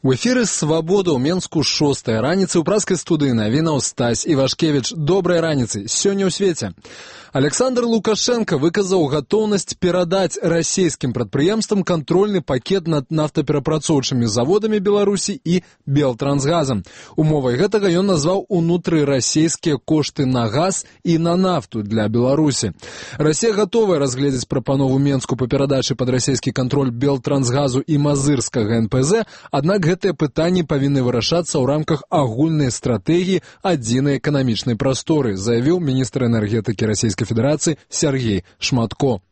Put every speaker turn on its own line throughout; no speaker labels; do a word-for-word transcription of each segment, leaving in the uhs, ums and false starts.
У эфіры «Свабода» ў Менску шостая раніцы. У праскай студыі навінаў Стась Івашкевіч. Добрай раніцы. Сёння ў свеце. Александр Лукашенко выказаў гатоўнасць перадаць расійскім прадпрыемствам кантрольны пакет над нафтаперапрацоўчымі заводамі Беларусі і Белтрансгазам. Умовай гэтага ён назваў унутрырасійскія кошты на газ і на нафту для Беларусі. Расія гатовая разгледзець прапанову Менску па перадачы пад расійскі кантроль Белтрансгазу і Мазырскага эн пэ зэ, аднак гэтыя пытанні павінны вырашацца ў рамках агульнай стратэгіі адзінай эканамічнай прасторы, заявіў міністр энергетыкі Расійскай Федерации Сергей Шматко.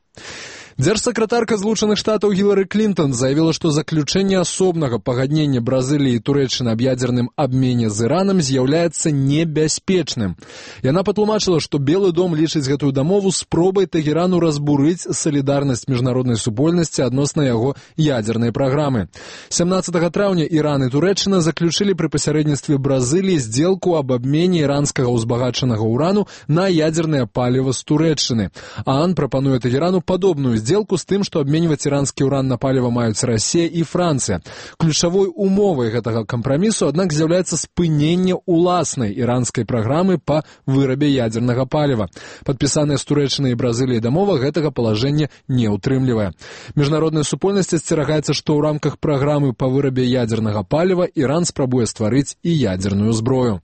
Дзяржсакратарка Злучаных Штатаў Гілары Клінтон заявіла, што заключэнне асобнага пагаднення Бразыліі і Турэччыны аб ядзерным абмене з Іранам з'яўляецца небяспечным. Яна патлумачыла, што Белы дом лічыць гэтую дамову спробай Тэгерану разбурыць салідарнасць міжнароднай супольнасці адносна яго ядзернай праграмы. сямнаццатага траўня Іран і Турэччына заключылі пры пасярэдніцтве Бразыліі здзелку аб абмене іранскага ўзбагачанага ўрану на ядзернае паліва з Турэччыны. ААН прапануе Тэгерану падобную сделку з тым, што абменьваць іранскі ўран на паліва маюць Расія і Францыя. Ключавой умовай гэтага кампрамісу, аднак, з'яўляецца спыненне ўласнай іранскай праграмы па вырабе ядзернага паліва. Падпісаная з Турэччынай і Бразыліяй дамова гэтага палажэння не ўтрымлівае. Міжнародная супольнасць асцерагаецца, што ў рамках праграмы па вырабе ядзернага паліва Іран спрабуе стварыць і ядзерную зброю.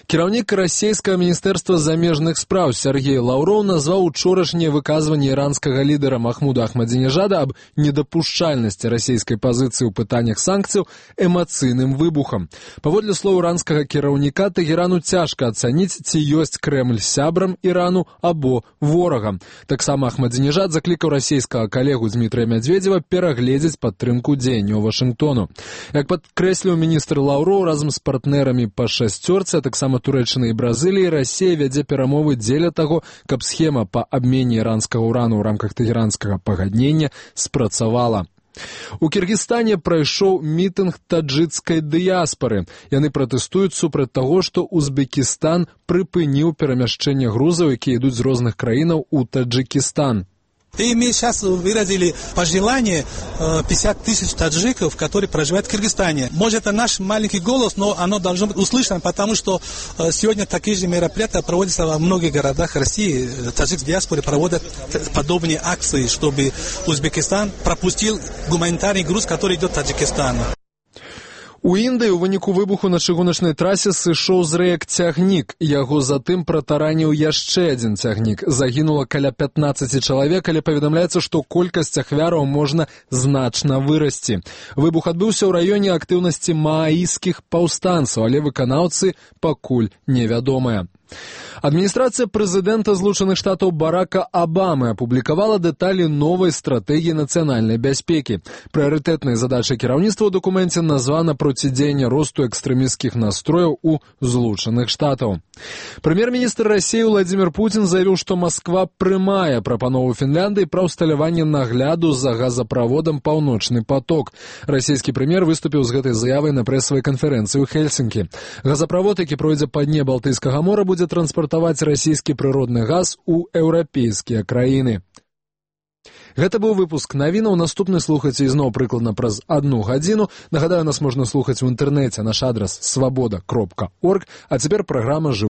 Кіраўнік расійскага міністэрства замежных спраў Сергей Лаўроў назваў учорашняе выказванне іранскага лідара Махмуда Ахмадзінежада аб недапушчальнасці расійскай пазіцыі ў пытаннях санкцыяў эмацыйным выбухам. Паводле слоў іранскага кіраўніка, Тэгерану цяжка ацаніць, ці ёсць Крэмль сябрам Ірану або ворагам. Таксама Ахмадзінежад заклікаў расійскага калегу Дмітрыя Мядзведзева перагледзець падтрымку дзеянняў Вашынгтону. Як падкрэсліў міністр Лаўроў, разам з партнерамі па шасцёрцы, а таксама Турэччыны і Бразыліі, Расія вядзе перамовы дзеля таго, каб схема па абмене іранскага ўрану ў рамках тэгеранскага пагаднення спрацавала. У Кіргізстане прайшоў мітынг таджыкскай дыяспары. Яны пратэстуюць супраць таго, што Узбекістан прыпыніў перамяшчэнне грузаў, якія ідуць з розных краінаў у Таджикистан.
И мы сейчас выразили пожелание пятьдесят тысяч таджиков, которые проживают в Кыргызстане. Может, это наш маленький голос, но оно должно быть услышано, потому что сегодня такие же мероприятия проводятся во многих городах России. Таджикские диаспоры проводят подобные акции, чтобы Узбекистан пропустил гуманитарный груз, который идет в Таджикистан.
У Індыі ў выніку выбуху на чыгуначнай трасе сышоў з рэек цягнік. Яго затым пратараніў яшчэ адзін цягнік. Загінула каля пятнаццаці чалавек, але паведамляецца, што колькасць ахвяраў можна значна вырасці. Выбух адбыўся ў раёне актыўнасці мааіскіх паўстанцаў, але выканаўцы пакуль невядомыя. Адміністрацыя прэзідэнта Злучаных Штатаў Барака Абамы апублікавала дэталі новай стратэгіі нацыянальнай бяспекі. Прыярытэтнай задачай кіраўніцтва ў дакуменце названа процідзеянне росту экстрэмісцкіх настрояў у Злучаных Штатаў. Прэм'ер-міністр Расіі Владзімір Пуцін заявіў, што Масква прымае прапанову Фінляндыі пра ўсталяванне нагляду за газаправодам «Паўночны поток». Расійскі прэм'ер выступіў з гэтай заявай на прэсавай канферэнцыі ў Хельсінкі. Газаправод, які пройдзе па дне Балтыйскага мора, будзе транспартаваць расійскі прыродны газ у еўрапейскія краіны. Гэта быў выпуск навінаў. Наступны слухайце ізноў прыкладна праз адну гадзіну. Нагадаю, нас можна слухаць у інтэрнэце. Наш адрас свабода кропка орг. А цяпер праграма «Жывы».